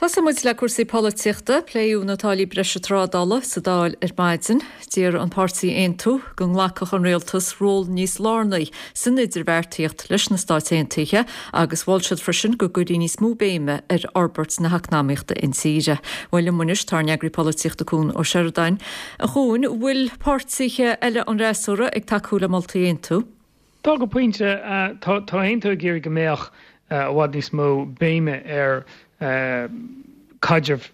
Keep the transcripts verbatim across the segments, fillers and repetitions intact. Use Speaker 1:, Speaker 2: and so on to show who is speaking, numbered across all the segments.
Speaker 1: Tosóidh muid le cúrsaí polaitíochta, pléadh na táillí breise trádála sa Dáil ar maidin. D'iarr an páirtí Aontú go nglacfadh an rialtas ról níos lárnaí san idirbheartaíocht leis na Stáit Aontaithe agus mhol siad freisin go gcuirfí níos mó béime ar fhorbairt na heacnamaíochta intíre. Bhuel liom anois tá ár n-eagraí polaitíochta Cuan Ó Seireadáin. A Chuain, bhfuil páirtithe eile an fhreasúra ag tacú le moltaí Aontú?
Speaker 2: Tá go pointe tá Aontú ag iarraidh go mbeadh i bhfad níos mó béime ar caidreamh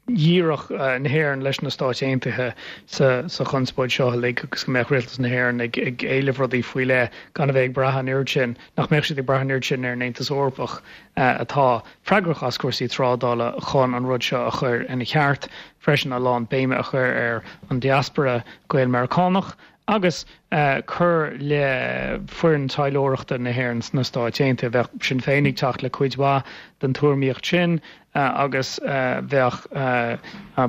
Speaker 2: dhíreach na hÉireann leis na Stáit Aontaithe sa sa chonspóid seo uilig agus go mbeadh rialtas na hÉireann ag ag éileamh rudaí faoi leith gan a bheith ag brath an oiread sin nach mbeadh siad ag brath an oiread sin ar an Aontas Eorpach atá freagrach as cúrsaí trádála chun an rud seo a chur ina cheart freisin a lán béime a chur ar an diaspora Gael-Meiriceánach agus cur le foireann taidhleoireachta na hÉireann sna Stáit Aontaithe. Bheadh Sinn Féin ag teacht le cuid mhaith den tuairimíocht sin agus bheadh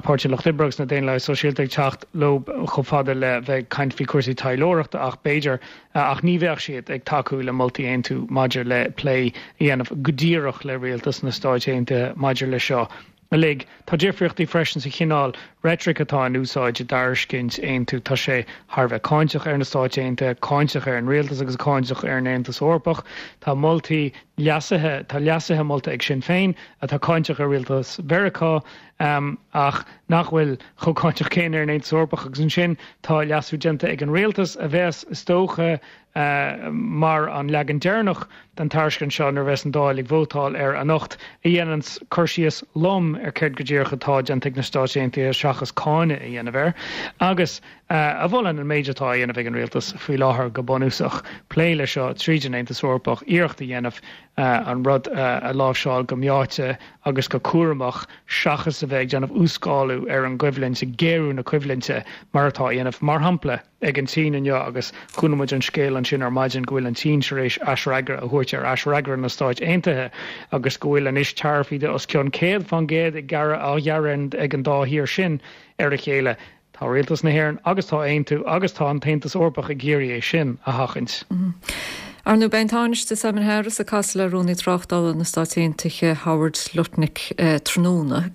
Speaker 2: Páirtí an Lucht Oibre agus na Daonlathaithe Sóisialta ag teacht leo chomh fada le bheith ag caint faoi chúrsaí taidhleoireachta ach b'fhéidir ach ní bheadh siad ag tacú le moltaí Aontú maidir le plé a dhéanamh go díreach le rialtas na Stáit Aontaithe maidir le seo. Uilig. Tá difríochtaí freisin sa chineál reitric atá in úsáid i dtairiscint Aontú tá sé thar bheith cáinteach ar na Stáit Aontaithe, cáinteach ar an rialtas agus cáinteach ar an Aontas Eorpach. Tá moltaí leasaithe tá leasuithe molta ag Sinn Féin atá cáinteach ar rialtas Mheiriceá um, ach nach bhfuil chomh cáinteach céanna ar an Aontas Eorpach agus ansin tá leasú déanta ag an rialtas a bheas is dócha uh, mar an leagan deireanach den tairiscint seo nuair a bheas an Dáil ag vótáil air anocht a dhéanann cur síos lom ar céard go díreach atá déanta ag na Stáit Aontaithe seachas cáineadh a dhéanamh air agus uh, a mholann an méid atá á dhéanamh ag an rialtas faoi láthair go bunúsach plé le seo tríd an Aontas Eorpach iarracht a dhéanamh uh, an rud uh, a láimhseáil go meáite agus go cúramach seachas a bheith ag déanamh uas-scálú ar an gcoimhlint géarú na coimhlinte mar atá á dhéanamh mar shampla ag an tSín inniu agus chonaic muid an scéal ansin ar maidin go bhfuil an tSín tar éis aisfhreagra a thabhairt ar aisfhreagra na Stáit Aontaithe agus go bhfuil anois taraifí de os cionn céad faoin gcéad ag gearradh á ghearradh ag an dá thír sin ar a chéile. Tá rialtas na hÉireann agus tá Aontú agus tá an tAontas Eorpach ag iarraidh é sin a sheachaint.
Speaker 1: Mm -hmm. Ar ndóigh beidh an Tánaiste Simon Harris ag casadh le Rúnaí Tráchtála na Stáit Aontaithe Howard Lutnick eh, tráthnóna.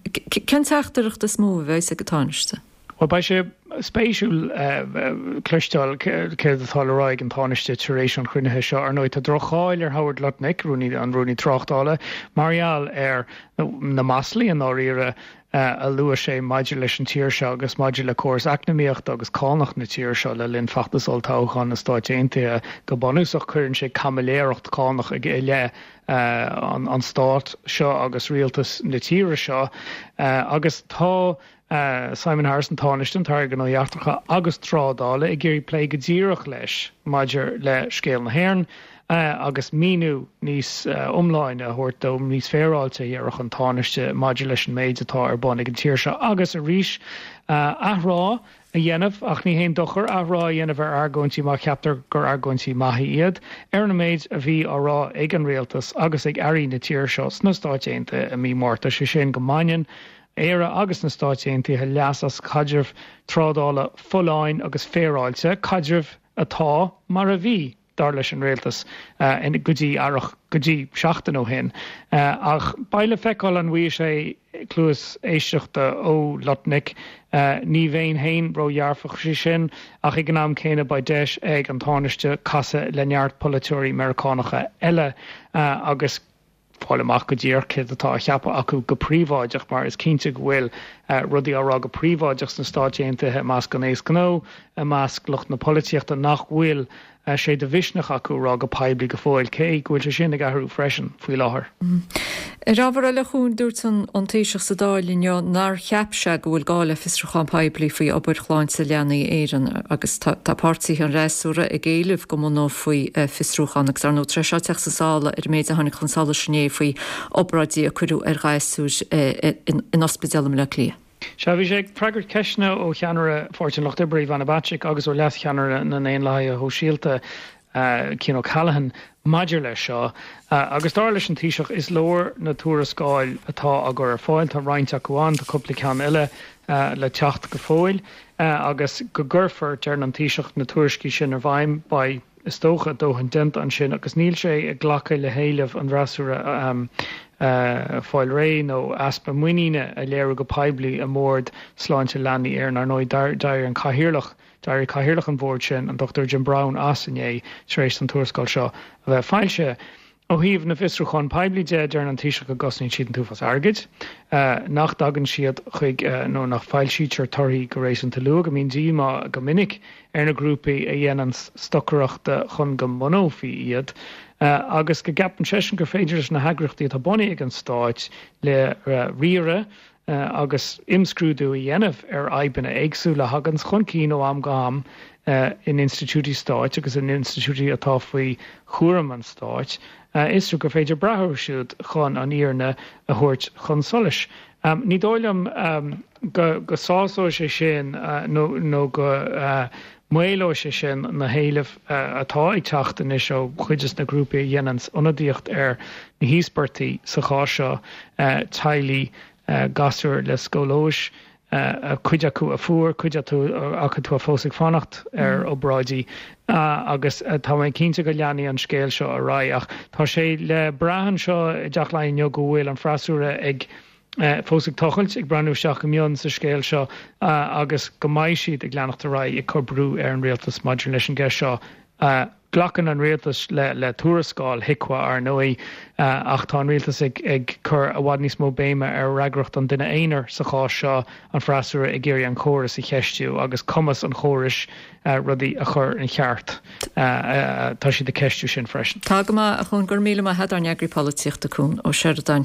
Speaker 1: Cén teachtaireacht is mó a bheas ag an Tánaiste?
Speaker 2: Well beidh sé spéisiúil uh, cloisteáil céard atá le rá ag an Tánaiste tar éis an chruinnithe seo ar ndóigh tá droch-cháil ar Howard Lutnick rúnaí an rúnaí tráchtála mar gheall ar na maslaí an áirithe uh, a luaigh sé maidir leis an tír seo agus maidir le córas eacnamaíochta agus cánach na tíre seo le linn feachtas olltoghcháin na Stáit Aontaithe go bunúsach cuireann sé caimiléireacht cánach ag i leith uh, an, an stát seo agus rialtas na tíre seo uh, agus tá Uh, Simon Harris an Tánaiste an tAire Gnóthaí Eachtracha agus trádála ag iarraidh plé go díreach leis maidir le scéal na hÉireann uh, agus míniú níos uh, iomláine a thabhairt dó níos féaráilte ar an Tánaiste maidir leis an méid atá ar bun ag an tír seo agus arís uh, athrá a dhéanamh ach ní haon dochar athrá a dhéanamh ar argóintí má cheaptar gur argóintí maithe iad ar an méid a bhí á rá ag an rialtas agus ag airí na tíre seo sna Stáit Aontaithe i mí Márta sé sin go mbaineann Éire agus na Stáit Aontaithe leas as caidreamh trádála folláin agus féaráilte caidreamh atá mar a bhí dar leis an rialtas uh, in go dtí earrach go dtí seachtain ó shin. Uh, ach beidh le feiceáil an bhfaighidh sé cluas éisteachta ó Lutnick uh, ní bheinn féin ródhearfach faoi sin ach ag an am céanna beidh deis ag an Tánaiste casadh le neart polaiteoirí Meiriceánacha eile uh, agus fáil amach go díreach céard atá á cheapadh acu go príobháideach mar is cinnte go bhfuil uh, rudaí á rá go príobháideach sna Stáit Aontaithe i measc an aos gnó i measc lucht na polaitíochta nach bhfuil uh, sé de mhisneach acu rá go poiblí go fóill cé go bhfuil sé sin ag athrú freisin faoi láthair.
Speaker 1: Mm. Ar ábhar eile chun dúirt an an Taoiseach sa Dáil inniu nár cheap sé go bhfuil gá le fiosrúchán poiblí faoi obair Shláinte Leanaí Éireann agus tá páirtithe an fhreasúra ag éileamh go mbunófaí eh, fiosrúchán agus ar ndóigh tar éis teacht chun solais ar an méid a tháinig chun solais inné faoi obráidí a cuireadh ar ghasúir eh, in ospidéal i mBaile Átha Cliath.
Speaker 2: Sea bhí sé ag freagairt ceisteanna ó cheannaire Pháirtí an Lucht Oibre Ivana Bacik agus ó leascheannaire na nDaonlathaithe Sóisialta uh, Cian O'Callaghan maidir leis seo uh, agus dar leis an Taoiseach is leor na tuarascáil atá á gcur ar fáil tá roinnt acu ann tá cúpla ceann eile uh, le teacht go fóill uh, agus go gcuirfear deir an Taoiseach na tuairiscí sin i bhfeidhm beidh is dócha dóthain déanta ansin agus níl sé ag glacadh le héileamh an fhreasúra um, fáil réidh nó easpa muiníne a léiriú go poiblí i mBord Sláinte Leanaí Éireann. Ar ndóigh, d'éirigh an cathaoirleach, d'éirigh cathaoirleach an bhoird sin, an Dochtúir Jim Browne, as inné tar éis an tuarascáil seo a bheith foilsithe. Ó thaobh na bhfiosrúchán poiblí de, deireann an Taoiseach go gcosnaíonn siad an t-uafás airgid, nach dtagann siad chuig nó nach bhfoilsítear torthaí go réasúnta luath, go mbíonn díomá go minic ar na grúpaí a dhéanann stocaireacht chun go mbunófaí iad, agus go gceapann seisean gur féidir leis na heagraíochtaí atá bunaithe ag an Stát le riaradh agus imscrúdú a dhéanamh ar fhadhbanna éagsúla a thagann chun cinn ó am go ham in institiúidí stáit agus in institiúidí atá faoi chúram an stáit, a fhiosrú, gur féidir brath orthu siúd chun an fhírinne a thabhairt chun solais. Ní dóigh liom go sásóidh sé sin nó go maolóidh sé sin na héilimh atá ag teacht anois ó chuid de na grúpaí a dhéanann ionadaíocht ar na híospartaigh sa chás seo, teaghlaigh gasúr le scóilióis, cuid acu a fuair, cuid acu atá fós ag fanacht ar obráidí agus tá mé cinnte go leanfaidh an scéal seo ar aghaidh. Ach tá sé le brath anseo i dTeach Laighean inniu go bhfuil an freasúra ag fós ag tochailt, ag breathnú isteach go mion sa scéal seo agus go mbeidh siad ag leanacht ar aghaidh ag cur brú ar an rialtas maidir leis an gceist seo. Glacann an rialtas le tuarascáil HIQA, ar ndóigh, ach tá an rialtas ag cur i bhfad níos mó béime ar fhreagracht an duine aonair sa chás seo, an freasúra ag iarraidh an córas a cheistiú agus cumas an chórais rudaí a chur ina cheart. Tá siad ag ceistiú sin freisin.
Speaker 1: Tá go maith, a Chuan, go raibh míle maith agat, ár n-eagraí polaitíochta Cuan Ó Seireadáin.